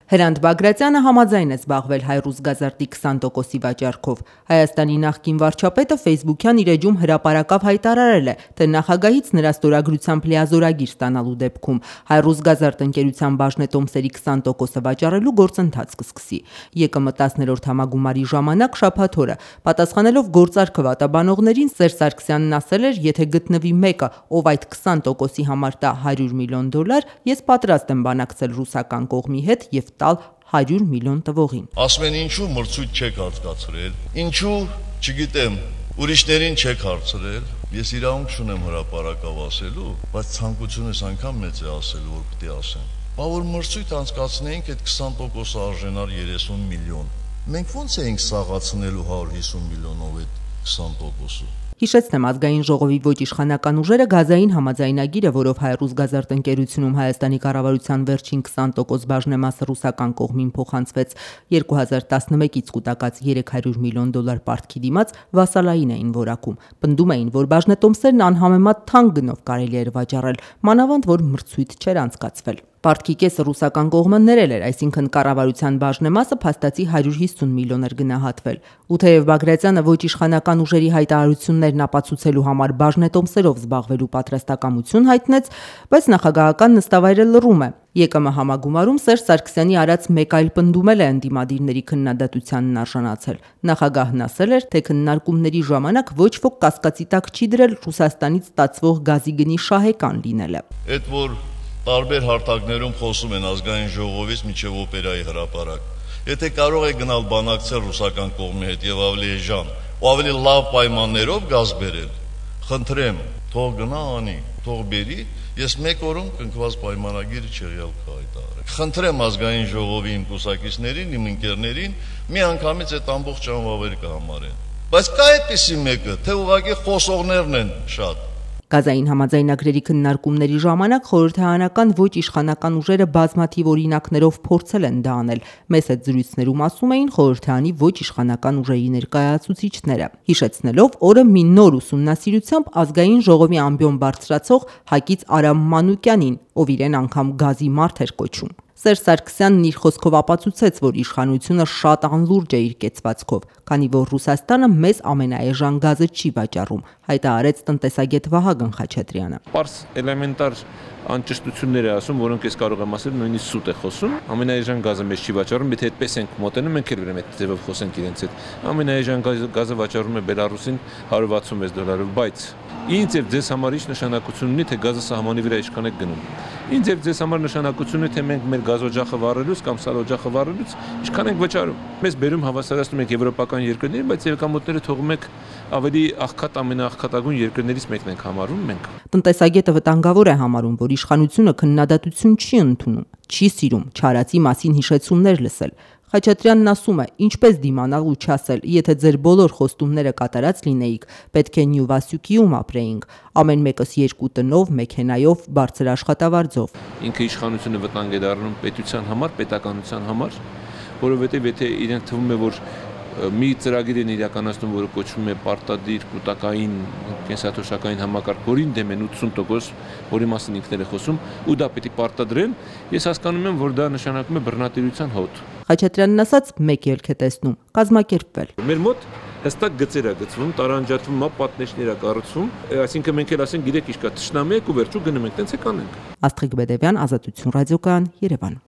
Հրանտ Բագրատյանը համաձայն է զբաղվել Հայրուսգազարդի 20%-ի վաճառքով։ Հայաստանի նախկին վարչապետը Facebook-յան իր էջում հրապարակավ հայտարարել է, թե նախագահից նրա ստորագրությամբ լիազորագիր ստանալու դեպքում Հայրուսգազարդ ընկերության բաժնետոմսերի 20%-ը վաճառելու գործընթաց կսկսի։ ԵԿՄ 10-րդ համագումարի ժամանակ շաբաթ օրը պատասխանելով գործարքը վատաբանողներին, Սերժ Սարգսյանն ասել էր, եթե գտնվի մեկը, ով այդ 20%-ի համար տա $100 միլիոն, ես պատրաստ եմ բանակցել ռուսական կողմի հետ եւ տալ $100 միլիոն տվողին։ Ասում են ինչու մրցույթ չեք հատկացրել, ինչու, չգիտեմ, ուրիշներին չեք հարցրել, ես իրավունք չունեմ հրապարակավ ասելու, բայց ցանկությունս անգամ մեծ է ասելու, որ պետք է ասեմ։ Բա որ մրցույթ անցկացնեինք, այդ 20%-ը արժենար 30 միլիոն։ Մենք ո՞նց էինք սաղացնելու 150 միլիոնով այդ 20%-ը։ Հիշեցնեմ, ազգային ժողովի ոչ իշխանական ուժերը գազային համաձայնագիրը, որով Հայրուսգազարդ ընկերությունում Հայաստանի կառավարության վերջին 20% բաժնեմասը ռուսական կողմին փոխանցվեց 2011-ից կուտակած $300 միլիոն պարտքի դիմաց, վասալային էին որակում։ Պնդում էին, որ բաժնետոմսերն անհամեմատ թանկ գնով կարելի էր վաճառել, մանավանդ որ մրցույթ չէր անցկացվել։ Պարտքի կեսը ռուսական կողմը ներել էր, այսինքն կառավարության բաժնեմասը փաստացի 150 միլիոն էր գնահատվել։ Ու թեև Բագրատյանը ոչ իշխանական ուժերի հայտարարություններն ապացուցելու համար բաժնետոմսերով զբաղվելու պատրաստակամություն հայտնեց, բայց նախագահական նստավայրը լռում է։ ԵԿՄ համագումարում Սերժ Սարգսյանի արած մեկ այլ պնդում էլ է ընդդիմադիրների քննադատությանն արժանացել։ Նախագահն ասել էր, թե քննարկումների ժամանակ ոչ ոք կասկածի տակ չի դրել Ռուսաստանից ստացվող գազի գնի շահեկան լինելը։ Այդ որ տարբեր հարթակներում խոսում են ազգային ժողովից մինչև օպերայի հրապարակ։ Եթե կարող է գնալ բանակցել ռուսական կողմի հետ եւ ավելի էժան, ու ավելի լավ պայմաններով գազ բերել, խնդրեմ, թող գնա անի, թող բերի, ես մեկ օրում կնքված պայմանագիրը չեղյալ կհայտարարեմ։ Խնդրեմ ազգային ժողովի իմ կուսակիցներին, իմ ընկերներին, մի անգամից այդ ամբողջ անվավեր կհամարեն։ Բայց կա այդպիսի մեկը, թե ուղղակի խոսողներն են շատ։ Գազային համաձայնագրերի քննարկումների ժամանակ խորհրդարանական ոչ իշխանական ուժերը բազմաթիվ օրինակներով փորձել են դա անել։ Մեծ այդ զրույցներում ասում էին խորհրդարանի ոչ իշխանական ուժերի ներկայացուցիչները, հիշեցնելով օրը մի նոր ուսումնասիրությամբ ազգային ժողովի ամբիոն բարձրացող Հակից Արամ Մանուկյանին, ով իրեն անգամ գազի մարդ էր կոչում։ Սերժ Սարգսյանն իր խոսքով ապացուցեց, որ իշխանությունը շատ անլուրջ է իր կեցվածքով, քանի որ Ռուսաստանը մեզ ամենաէժան գազը չի վաճառում, հայտարարեց տնտեսագետ Վահագն Խաչատրյանը։ Պարզ էլեմենտար անճշտություններ է ասում, որոնք ես կարող եմ ասել, նույնիսկ սուտ է խոսում։ Ամենաէժան գազը մեզ չի վաճառում, եթե այդպես ենք մոտենում, մենք էլ ուրեմն այդ ձևով խոսենք իրենց հետ։ Ամենաէժան գազը վաճառում է Բելարուսին $166, բայց ինձ եւ ձեզ համար ինչ նշանակություն ունի, թե գազը սահմանի վրա ինչքան է գնում։ Ինձ եւ ձեզ համար նշանակություն ունի, թե մենք մեր գազօջախը վառելուց կամ սարօջախը վառելուց ինչքան ենք վճարում։ Մեզ բերում հավասարացնում ենք եվրոպական երկրներին, բայց եկամուտները թողում եք ավելի աղքատ ամենաաղքատագույն երկրներից մեկն ենք համարում մենք։ Տնտեսագետը վտանգավոր է համարում, որ իշխանությունը քննադատություն չի ընդունում, չի սիրում չարացի մասին հիշեցումներ լսել։ Խաչատրյանն ասում է, ինչպես դիմանալ ու չասել, եթե ձեր բոլոր խոստումները կատարած լինեիք, պետք է Նյու Վասյուկիում ապրեինք, ամեն մեկս 2 տնով, մեքենայով, բարձր աշխատավարձով։ Ինքը իշխանությունը վտանգ է դառնում պետության համար, պետականության համար, որովհետև եթե իրենք թվում է, որ մի ծրագիր են իրականացնում, որը կոչվում է պարտադիր կուտակային կենսաթոշակային համակարգ, որին դեմ են 80%, որի մասին ինքներ է խոսում, ու դա պետք է պարտադրեն, ես հասկանում եմ, որ դա նշանակում է բռնատիրության հոտ։ Խաչատրյանն ասաց, մեկ ելք է տեսնում, կազմակերպվել։ Մեր մոտ հստակ գծեր է գծվում, տարանջատվում, պատնեշներ է կառուցվում, այսինքն մենք էլ ասենք, գիտեք ինչ կա, թշնամի եք ու վերջում գնում ենք, տենց է կանենք։ Աստղիկ Բեդևյան, Ազատություն ռադիոկայան, Երևան։